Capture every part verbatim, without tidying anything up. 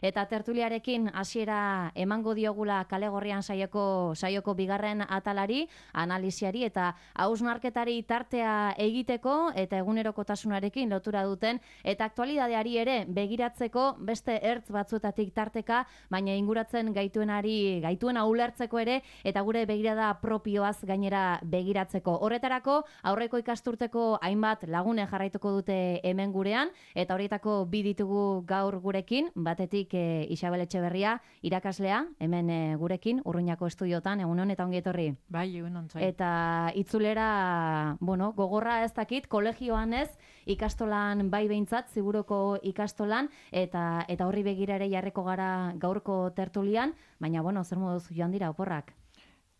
Eta tertuliarekin hasiera emango diogula Kalegorrian saioko saioko bigarren atalari, analisiari eta hausnarketari tartea egiteko eta egunerokotasunarekin lotura duten eta aktualitateari ere begiratzeko beste ertz batzuetatik tarteka, baina inguratzen gaituenari gaituena ulertzeko ere eta gure begirada propioaz gainera begiratzeko. Horretarako aurreko ikasturteko hainbat lagune jarraituko dute hemen gurean eta horietako bi ditugu gaur gurekin, batetik E, Isabel Etxeberria, irakaslea, hemen e, gurekin, Urruñako estudiotan, egunon eta ongi etorri. Bai, egunon zai. Eta itzulera, bueno, gogorra ez dakit, kolegioan ez, ikastolan bai behintzat, ziburuko ikastolan, eta eta horri begira ere jarriko gara gaurko tertulian, baina, bueno, zer moduz joan dira oporrak?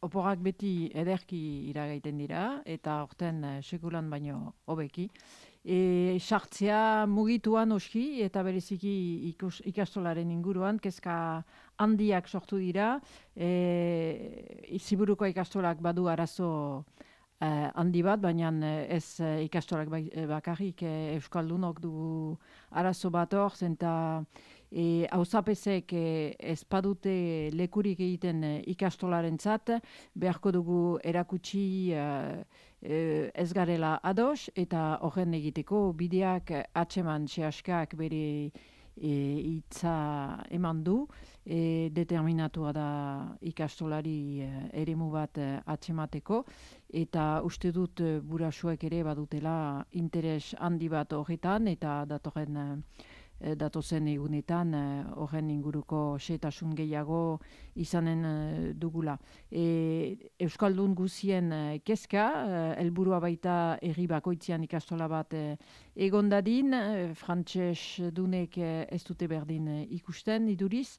Oporrak beti ederki iragaiten dira, eta orten uh, sekulan baino hobeki. E, sartzea mugituan oski eta bereziki ikus, ikastolaren inguruan, kezka handiak sortu dira, e, ziburuko ikastolak badu arazo uh, handi bat, baina ez uh, ikastolak bakarrik uh, euskaldunok dugu arazo bat hor, zenta E, hauzapezek e, ez padute lekurik egiten e, ikastolaren zat, beharko dugu erakutsi e, e, ez garela ados, eta horren egiteko bideak atseman sehaskak bere e, itza eman du, e, determinatua da ikastolari e, eremu bat e, atsemateko, eta uste dut e, burasuek ere badutela interes handi bat horretan, eta datorren e, datozen egunetan horren inguruko xehetasun gehiago izanen dugula. E, Euskaldun guzien kezka, helburua baita herri bakoitzean ikastola bat egon dadin, frantses dunek ez dute berdin ikusten iduriz,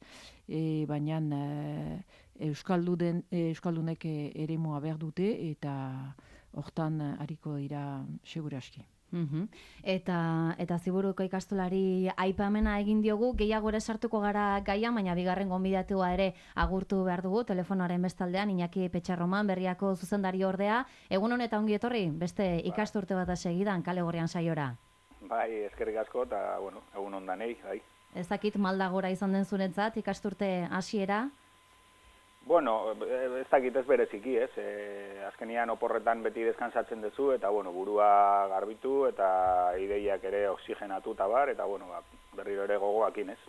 e, baina Euskalduden, Euskaldunek eremua berdute eta hortan hariko dira seguraski. Uhum. Eta eta ziburuko ikastolari aipamena egin diogu, gehiago ere sartuko gara gaia, baina bigarren gonbidatua ere agurtu behar dugu telefonoaren bestaldean, Iñaki Petxarroman, Berriako zuzendari ordea. Egun honetan ongi etorri, beste ikasturte bat segidan Kalegorrian saiora. Bai, eskerrik asko eta bueno, egun on danei, bai. Ez dakit malda gora izan den zuretzat ikasturte hasiera. Bueno, ez dakit ez bereziki, ez? E, azkenian oporretan beti deskansatzen duzu eta bueno, burua garbitu eta ideiak ere oxigenatu eta bar, eta bueno, ba, berriro ere gogoakin, ez?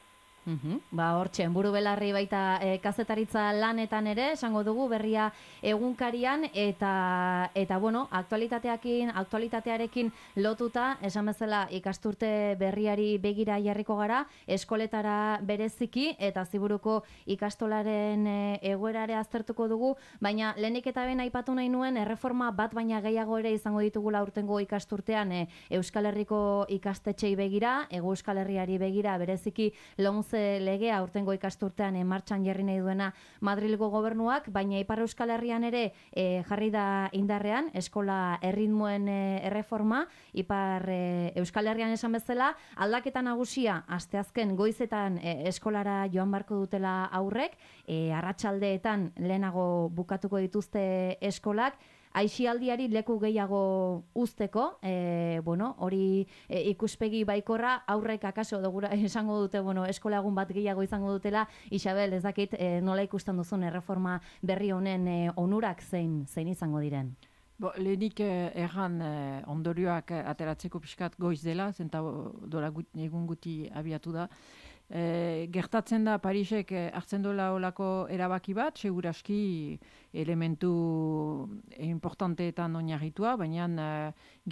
Uhum. Ba, hortxen, buru belarri baita e, kazetaritza lanetan ere, esango dugu berria egunkarian, eta, eta bueno, aktualitateakin, aktualitatearekin lotuta, esan bezala ikasturte berriari begira jarriko gara, eskoletara bereziki, eta ziburuko ikastolaren e, egoerare aztertuko dugu, baina lehenik eta ben aipatu nahi nuen, erreforma bat baina gehiago ere izango ditugula urtengo ikasturtean e, Euskal Herriko ikastetxei begira, Ego Euskal Herriari begira bereziki lomz legea urtengo ikasturtean e, martxan jarri nahi duena Madrilgo gobernuak, baina Ipar Euskal Herrian ere e, jarri da indarrean eskola erritmoen e, erreforma, Ipar e, Euskal Herrian esan bezala, aldaketa nagusia asteazken goizetan e, eskolara joan barko dutela aurrek, e, arratsaldeetan lehenago bukatuko dituzte eskolak, aixialdiari leku gehiago uzteko, e, bueno, hori e, ikuspegi baikorra, aurrek akaso dugura esango dute, bueno, eskola egun bat gehiago izango dutela. Isabel, ez dakit e, nola ikusten duzun erreforma berri honen e, onurak zein zein izango diren? Bo, lehenik eh, erran eh, ondorioak ateratzeko pixkat goiz dela, zenta dola gut, egun guti abiatu da. E, gertatzen da Parisek hartzen dola olako erabaki bat, seguraski elementu importanteetan oinarritua, baina e,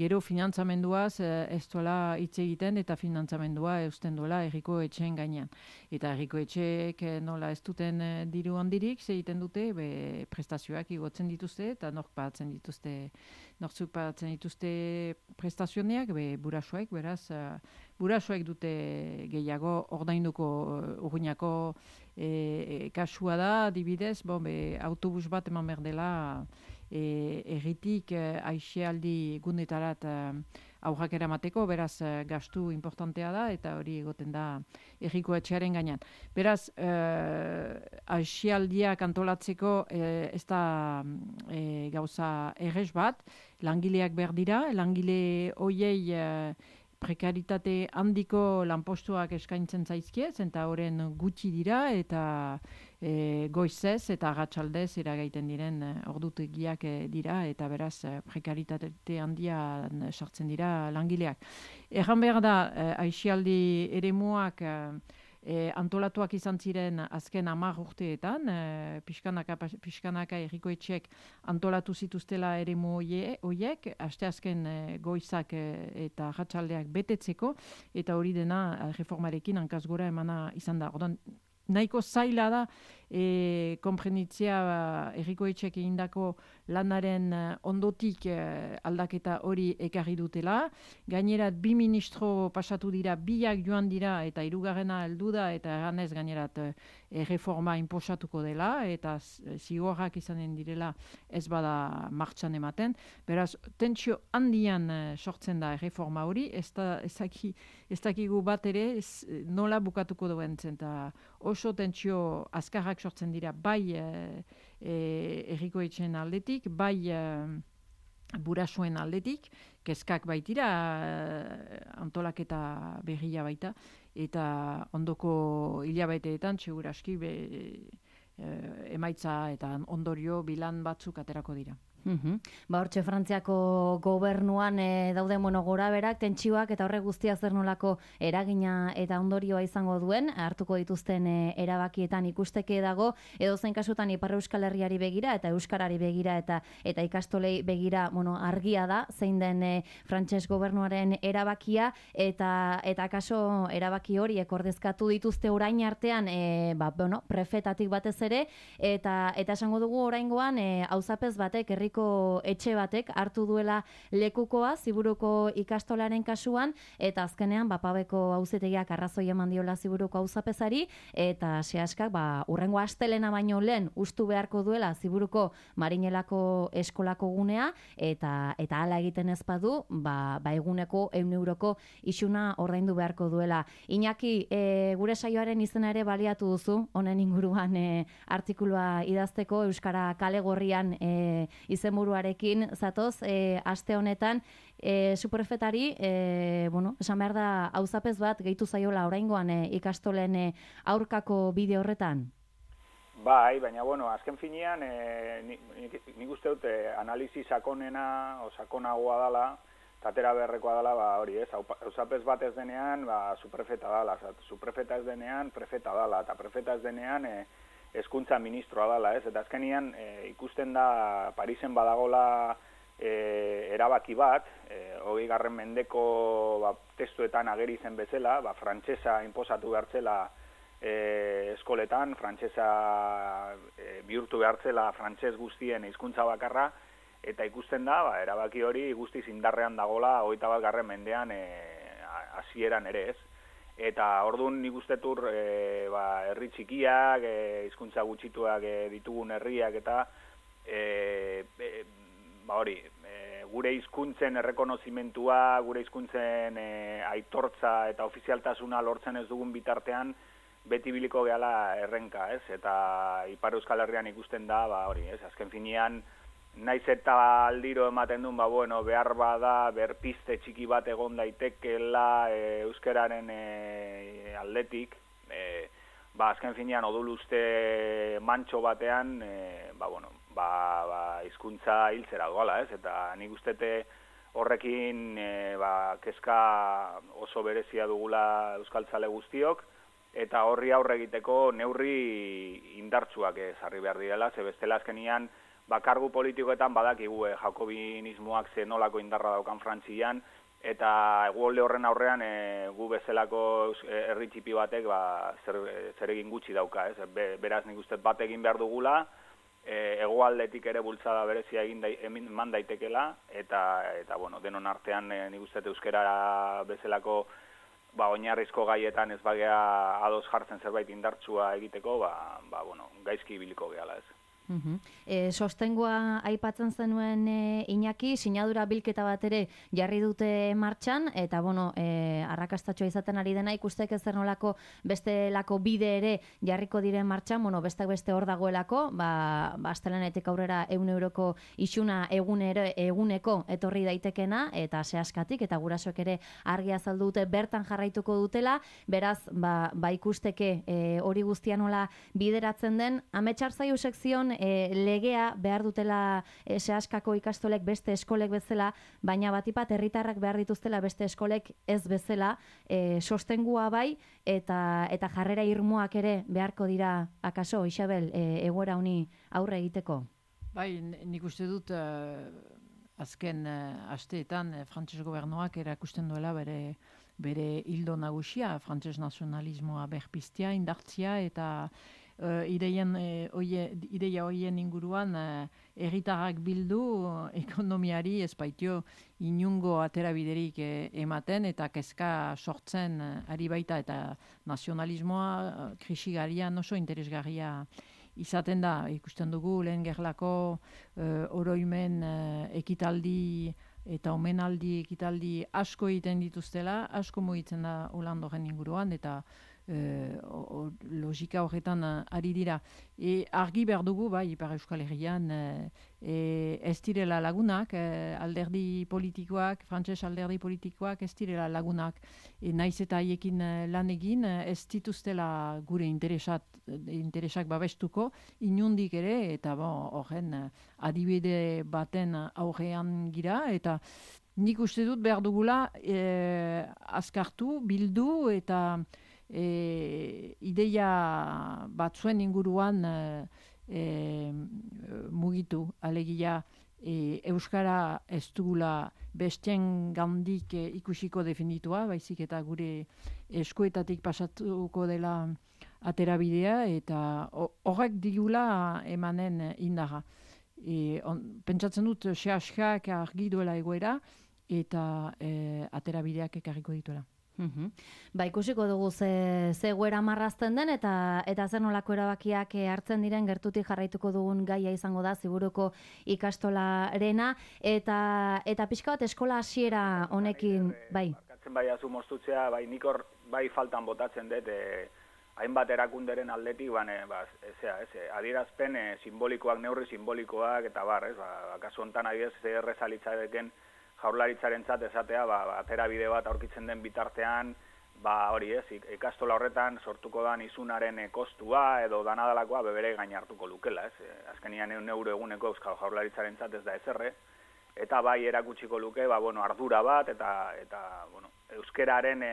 gero finantzamenduaz e, ez dola hitz egiten eta finantzamendua eusten dola herriko etxeen gainean. Eta herriko etxeek nola ez duten e, diru handirik, ze egiten dute, be, prestazioak igotzen dituzte eta nork pagatzen dituzte, nortzuk pagatzen dituzte prestazioneak, be, burasoek, beraz, burasoek dute gehiago ordainduko Urruñako e, kasua da, adibidez, bon, be, autobus bat eman behar dela e, erritik e, aixialdi gunetarat e, aurrak eramateko, beraz e, gastu importantea da eta hori egoten da herriko etxearen gainean. Beraz, e, aixialdiak antolatzeko e, ez da e, gauza errez bat, langileak behar dira, langile hoiei e, prekaritate handiko lanpostuak eskaintzen zaizkiez, eta horren gutxi dira, eta e, goizez eta arratsaldez iragaiten diren e, ordutegiak e, dira, eta beraz e, prekaritate handia sartzen dira langileak. Erran behar da, e, aisialdi eremuak e, E, antolatuak izan ziren azken hamar urteetan, e, pixkanaka, pixkanaka errikoetxeek antolatu zituztela eremu horiek, asteazken e, goizak e, eta arratsaldeak betetzeko, eta hori dena reformarekin hankaz gora emana izan da. Orduan, nahiko zaila da e, konprenditzea errikoetxeek egindako lanaren ondotik e, aldaketa hori ekarri dutela. Gainerat bi ministro pasatu dira, biak joan dira eta hirugarrena heldu da, eta eranez gainerat e, reforma inposatuko dela, eta zigorrak izanen direla ez bada martxan ematen. Beraz, tentsio handian e, sortzen da reforma hori, ez da, ez daki, ez dakigu bat ere ez, nola bukatuko duen zen, eta oso tentsio azkarrak sortzen dira, bai e, e, errikoetxeen aldetik, bai e, burasuen aldetik, kezkak baitira, e, antolaketa berria baita, eta ondoko hilabeteetan seguraski be, e, emaitza eta ondorio bilan batzuk aterako dira. Uhum. Ba, hortxe Frantziako gobernuan e, daude bueno, gora berak, tentsioak eta horrek guztia zer nolako eragina eta ondorioa izango duen, hartuko dituzten e, erabakietan ikusteke dago, edo zein kasutan Ipar Euskal Herriari begira eta Euskarari begira eta eta ikastolei begira bueno, argia da, zein den e, frantses gobernuaren erabakia, eta eta kaso erabaki horiek ordezkatu dituzte orain artean e, ba, bueno, prefetatik batez ere, eta eta esango dugu oraingoan e, auzapez batek herri etxe batek hartu duela lekukoa Ziburuko ikastolaren kasuan, eta azkenean Bapabeko auzitegiak arrazoi eman diola Ziburuko auzapezari, eta sehaskak ba, urrengo astelena baino lehen ustu beharko duela Ziburuko Marinelako eskolako gunea, eta eta hala egiten ez badu, ba, ba eguneko ehun euroko isuna ordaindu beharko duela. Iñaki, e, gure saioaren izena ere baliatu duzu, honen inguruan e, artikulua idazteko Euskara Kale Gorrian e, izenburuarekin zatoz, e, aste honetan e, superfetari, e, bueno, esan behar da auzapez bat gehitu zaiola oraingoan e, ikastolen e, aurkako bide horretan? Bai, baina, bueno, azken finean, e, nik, nik uste dute analizi sakonena, o sakonagoa dela, tatera beharrekoa dela, ba, hori ez, auzapez bat ez denean, ba, superfeta dela, superfeta ez denean, prefeta dela, eta prefeta ez denean, e, hezkuntza ministroa dela, ez? Eta azkenian e, ikusten da Parisen badagola e, erabaki bat, e, hogei garren mendeko ba, testuetan ageri zen bezala, ba, frantsesa inposatu behartzela e, eskoletan, frantsesa e, bihurtu behartzela frantses guztien hizkuntza bakarra, eta ikusten da, ba, erabaki hori guztiz indarrean dagola hogeita bat garren mendean e, hasieran ere, ez? Eta orduan nik ustetur e, ba, herri txikiak, e, hizkuntza gutxituak e, ditugun herriak eta e, e, ba hori, e, gure hizkuntzen errekonozimentua, gure hizkuntzen e, aitortza eta ofizialtasuna lortzen ez dugun bitartean beti biliko gehala errenka, ez? Eta Ipar Euskal Herrian ikusten da, ba hori, ez? Azken finean naiz eta aldiro ematen duen, ba, bueno, behar bada, berpiste txiki bat egon daitekela e, euskararen e, aldetik, e, ba, azken finean oduluste mantxo batean, e, ba, bueno, ba, ba, hizkuntza hiltzera doala, ez? Eta nik ustete horrekin e, ba, kezka oso berezia dugula euskaltzale guztiok, eta horri aurre egiteko neurri indartsuak ezarri behar direla, ze bestela azkenian, ba, kargu politikoetan badakigu eh, jakobinismoak ze nolako indarra daukan Frantzian, eta egualde horren aurrean e, gu bezalako herri txipi batek ba, zer, zer egin gutxi dauka, ez? Be, beraz nik uste bat egin behar dugula, e, egoaldetik ere bultzada berezia egin da, eman daitekela, eta, eta bueno, denon artean e, nik uste euskara bezalako ba, oinarrizko gaietan ez bagea ados jartzen zerbait indartsua egiteko, ba, ba, bueno, gaizki ibiliko gehala, ez? Uhum. E, sostengoa aipatzen zenuen e, Iñaki, sinadura bilketa bat ere jarri dute martxan, eta bueno, e, arrakastatxoa izaten ari dena ikustek ez nolako bestelako bide ere jarriko diren martxan, bueno, bestak beste hor dagoelako, ba, ba astelehenetik aurrera ehun euroko isuna egunero, eguneko etorri daitekena, eta sehaskatik, eta gurasoek ere argi azaldu dute bertan jarraituko dutela, beraz, ba, ba ikusteke e, hori guztia nola bideratzen den, ametsar zaio sekzion E, legea behar dutela e, sehaskako ikastolek beste eskolek bezala, baina batipat herritarrak behar dituztela beste eskolek ez bezala, e, sostengua bai, eta eta jarrera irmoak ere beharko dira, akaso, Isabel, e, egoera honi aurre egiteko? Bai, nik uste dut uh, azken uh, asteetan uh, frantses gobernuak erakusten duela bere bere hildo nagusia, frantses nazionalismoa berpiztea, indartzia, eta Uh, ideien, uh, oie, ideia horien inguruan uh, herritarrak bildu uh, ekonomiari ez baitio inungo aterabiderik uh, ematen eta kezka sortzen uh, ari baita, eta nazionalismoa uh, krisigarian oso interesgarria izaten da. Ikusten dugu lehen gerlako uh, oroimen uh, ekitaldi eta omenaldi ekitaldi asko egiten dituztela, asko mugitzen da Holandoren inguruan, eta Uh, o, o, logika horretan uh, ari dira. E, argi behar dugu, bai, Ipar Euskal Herrian, uh, e, ez direla lagunak, uh, alderdi politikoak, frantses alderdi politikoak ez direla lagunak. E, naiz eta haiekin uh, lan egin, uh, ez dituztela gure interesat, interesak babestuko, inundik ere, eta horren uh, adibide baten aurrean gira, eta nik uste dut behar dugula uh, azkartu, bildu, eta E, ideia batzuen inguruan e, e, mugitu, alegia e, Euskara ez dugula bestien gandik e, ikusiko definitua, baizik eta gure eskuetatik pasatuko dela aterabidea, eta horrek digula emanen indarra. E, on, pentsatzen dut sehaskak argi duela egoera, eta e, aterabideak ekarriko dituela. Uhum. Ba, ikusiko dugu ze, ze goera marrazten den, eta eta zer nolako erabakiak hartzen diren gertutik jarraituko dugun gaia izango da ziburuko ikastolarena, eta eta pixka bat eskola hasiera honekin, bai. Barkatzen bai azu moztutzea, bai nik hor bai faltan botatzen dut, e, hainbat erakunderen aldetik, bane, ba, ezea, ez, adierazpen e, simbolikoak, neurri simbolikoak, eta bar, ez, ba, kasu honetan adibidez errezalitzadeken Jaurlaritzarentzat esatea, ba, aterabide bat aurkitzen den bitartean, ba hori ez, ikastola horretan sortuko dan izunaren kostua edo danadalakoa bebere gain hartuko lukela, ez. Azkenian ehun euro eguneko Euskal Jaurlaritzarentzat ez da ezerre, eta bai erakutsiko luke, ba bueno, ardura bat eta eta bueno, euskeraren e,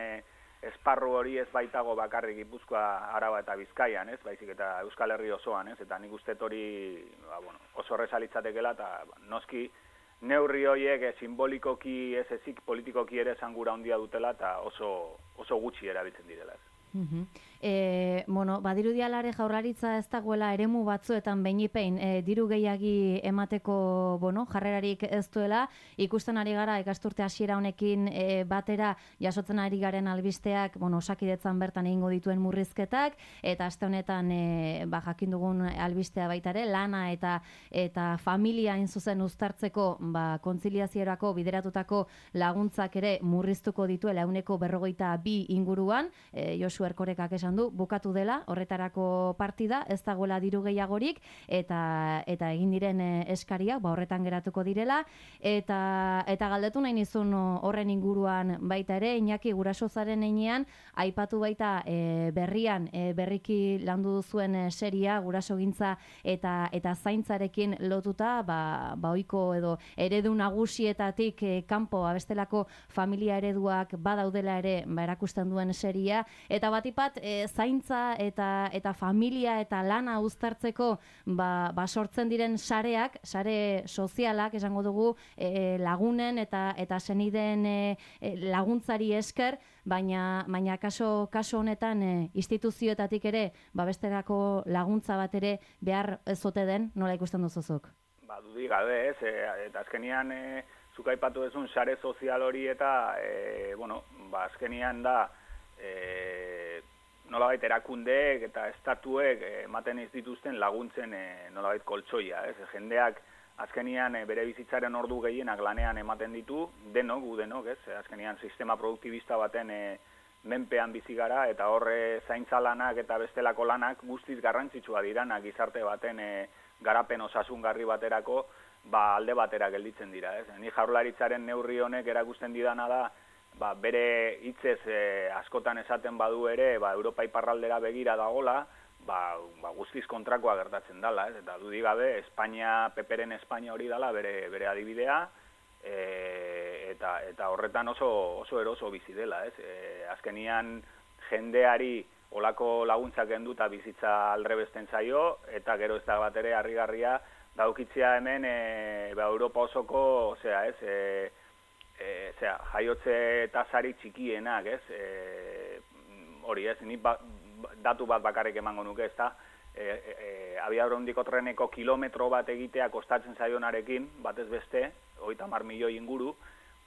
esparru hori ez baitago bakarrik Gipuzkoa, Araba eta Bizkaian, ez, baizik eta Euskal Herri osoan, ez, eta nik uste hori, ba bueno, oso errezalitzatekela, eta ba, noski neurri horiek e, simbolikoki ez ezik politikoki ere zangura handia dutela eta oso, oso gutxi erabiltzen direla. Uh-huh. E, bueno, badirudialare Jaurlaritza ez dagoela eremu batzuetan beinipein e, diru gehiagi emateko bueno, jarrerarik ez duela, ikusten ari gara ikasturte hasiera honekin e, batera jasotzen ari garen albisteak, bueno, Osakidetzan bertan egingo dituen murrizketak, eta aste honetan e, ba, jakin dugun albistea baita ere, lana eta eta familia hain zuzen uztartzeko ba, kontziliaziorako bideratutako laguntzak ere murriztuko dituela ehuneko berrogeita bi inguruan, e, Josu Erkorekak esan du, bukatu dela horretarako partida, ez dagoela diru gehiagorik, eta eta egin diren eskariak ba horretan geratuko direla, eta eta galdetu nahi nizun horren inguruan baita ere, Iñaki guraso zaren heinean, aipatu baita e, berrian e, berriki landu duzuen e, seria gurasogintza eta eta zaintzarekin lotuta, ba, ba ohiko edo eredu nagusietatik e, kanpo abestelako familia ereduak badaudela ere ba erakusten duen seria, eta batipat e, zaintza eta eta familia eta lana uztartzeko ba, ba sortzen diren sareak, sare sozialak esango dugu e, lagunen eta eta senideen e, laguntzari esker, baina baina kaso kaso honetan e, instituzioetatik ere babesterako laguntza bat ere behar ez ote den, nola ikusten duzuzuk? Ba, dudik gabe ez, e, eta azkenian e, zuk aipatu duzun sare sozial hori eta e, bueno, ba azkenian da e, nolabait erakundeek eta estatuek ematen ez dituzten laguntzen e, nolabait koltsoia, ez? Jendeak azkenian e, bere bizitzaren ordu gehienak lanean ematen ditu, denok, gu denok, ez? Azkenian sistema produktibista baten e, menpean bizi gara eta horre zaintza lanak eta bestelako lanak guztiz garrantzitsua diranak gizarte baten e, garapen osasungarri baterako ba, alde batera gelditzen dira. Ez? Ni Jaurlaritzaren neurri honek erakusten didana da ba, bere hitzez e, askotan esaten badu ere ba, Europa iparraldera begira dagola, ba, ba, guztiz kontrakoa gertatzen dela. Ez? Eta dudik gabe, Espainia, Peperen Espainia hori dela bere, bere adibidea, e, eta, eta horretan oso, oso eroso bizi dela. Ez? E, azkenian jendeari olako laguntzak enduta bizitza aldrebesten zaio, eta gero ez da bat ere harrigarria daukitzea hemen e, ba, Europa osoko, osea, ez, e, e, osea, jaiotze tasari txikienak, ez, e, hori ez, ni ba, datu bat bakarrik emango nuke, ez da, e, e, abiadurondiko treneko kilometro bat egitea kostatzen zaionarekin, batez beste, hogeita hamar milioi inguru,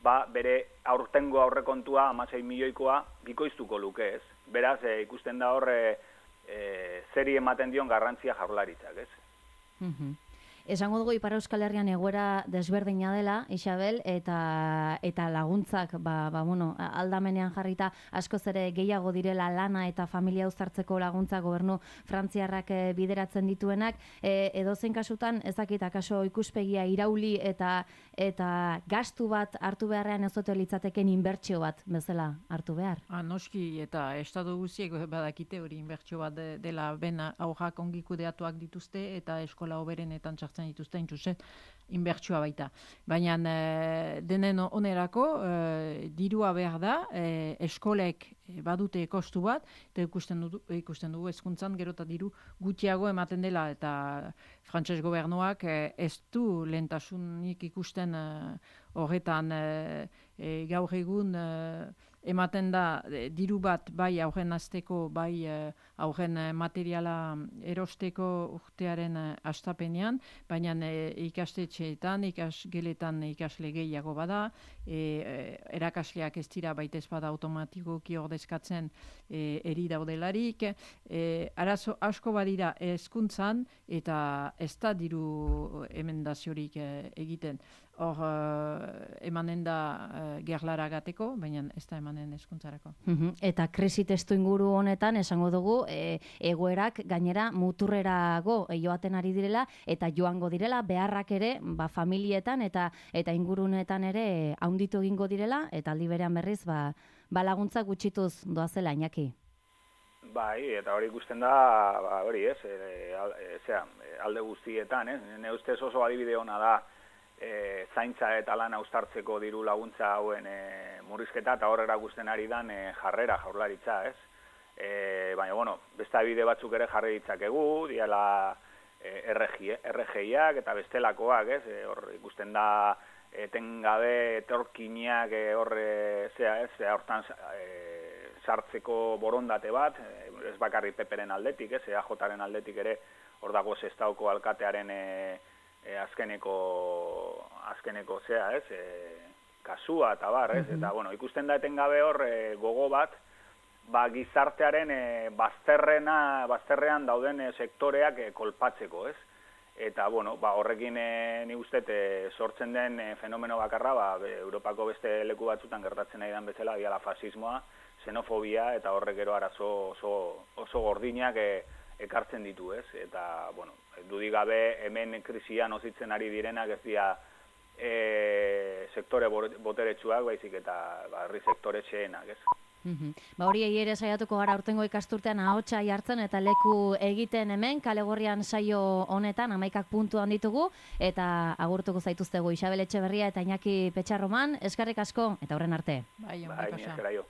ba, bere aurtengo aurrekontua hamasei milioikoa bikoiztuko luke, ez. Beraz, e, ikusten da hor, e, e, zeri ematen dion garrantzia Jaurlaritzak, ez. Mhm. Esango dugu Ipar Euskal Herrian egoera desberdina dela, Isabel, eta eta laguntzak, ba, ba, bueno, aldamenean jarrita askoz ere gehiago direla lana eta familia uztartzeko laguntza gobernu frantziarrak e, bideratzen dituenak, e, edozein kasutan, ez dakit akaso ikuspegia irauli eta eta gastu bat hartu beharrean ez ote litzateken inbertsio bat bezala hartu behar. Ah, noski, eta estatu guztiek badakite hori inbertsio bat de, dela ben aurrak ongi kudeatuak dituzte eta eskola hoberenetan txartzen dituzten txusen inbertsioa baita. Baina e, denen onerako e, dirua behar da, e, eskolek badute kostu bat, eta ikusten dugu, ikusten dugu hezkuntzan gero eta diru gutxiago ematen dela, eta frantses gobernuak e, ez du lehentasunik ikusten e, horretan e, e, gaur egun e, ematen da e, diru bat bai aurren hasteko, bai e, aurren e, materiala erosteko urtearen e, hastapenean, baina e, ikastetxeetan, ikasgeletan ikasle gehiago bada, e, e, erakasleak ez dira baita ez bada automatikoki ordezkatzen e, eri daudelarik, e, arazo asko badira hezkuntzan eta ez da diru emendaziorik e, egiten. Hor, uh, emanen da uh, gerlara gateko, baina ez da emanen hezkuntzarako. Uhum. Eta krisi testu inguru honetan, esango dugu, e, egoerak gainera muturrerago joaten ari direla, eta joango direla, beharrak ere, ba, familietan eta eta ingurunetan ere haunditu egingo direla, eta aldi berean berriz, ba, ba laguntza gutxituz doazela, Iñaki. Bai, eta hori ikusten da, ba, hori ez, e, e, zera, alde guztietan, ez, ne ustez oso adibide ona da, E, zaintza eta lana uztartzeko diru laguntza hauen e, murrizketa eta horrela guztien ari dan e, jarrera Jaurlaritza, ez? E, baina, bueno, beste bide batzuk ere jarri ditzakegu, diala e, R G iak eta bestelakoak, ez? E, hor ikusten da etengabe etorkinak e, horre, zea, ez? Zea hortan e, sartzeko borondate bat, e, ez bakarri Peperen aldetik, ez? E A Jaren aldetik ere hor dago Sestaoko alkatearen e, E, azkeneko, azkeneko zea, ez, e, kasua eta bar, ez, eta, bueno, ikusten da etengabe hor e, gogo bat, ba, gizartearen e, bazterrena, bazterrean dauden e, sektoreak e, kolpatzeko, ez, eta, bueno, ba, horrekin e, ni uste e, sortzen den e, fenomeno bakarra, ba, be, Europako beste leku batzutan gertatzen nahi den bezala, diala fasismoa, xenofobia, eta horrek gero arazo oso, oso gordinak e, ekartzen ditu, ez? Eta, bueno, dudik gabe hemen krisia nozitzen ari direnak ez dira e, sektore boteretsuak, baizik eta herri sektore txeenak, ez? Mm-hmm. Ba hori ere saiatuko gara urtengo ikasturtean ahotsa jartzen eta leku egiten hemen, Kalegorrian saio honetan hamaikak puntuan ditugu, eta agurtuko zaituztegu Isabel Etxeberria eta Iñaki Petxarroman, eskerrik asko, eta horren arte. Bai, bai, ni eskeraio.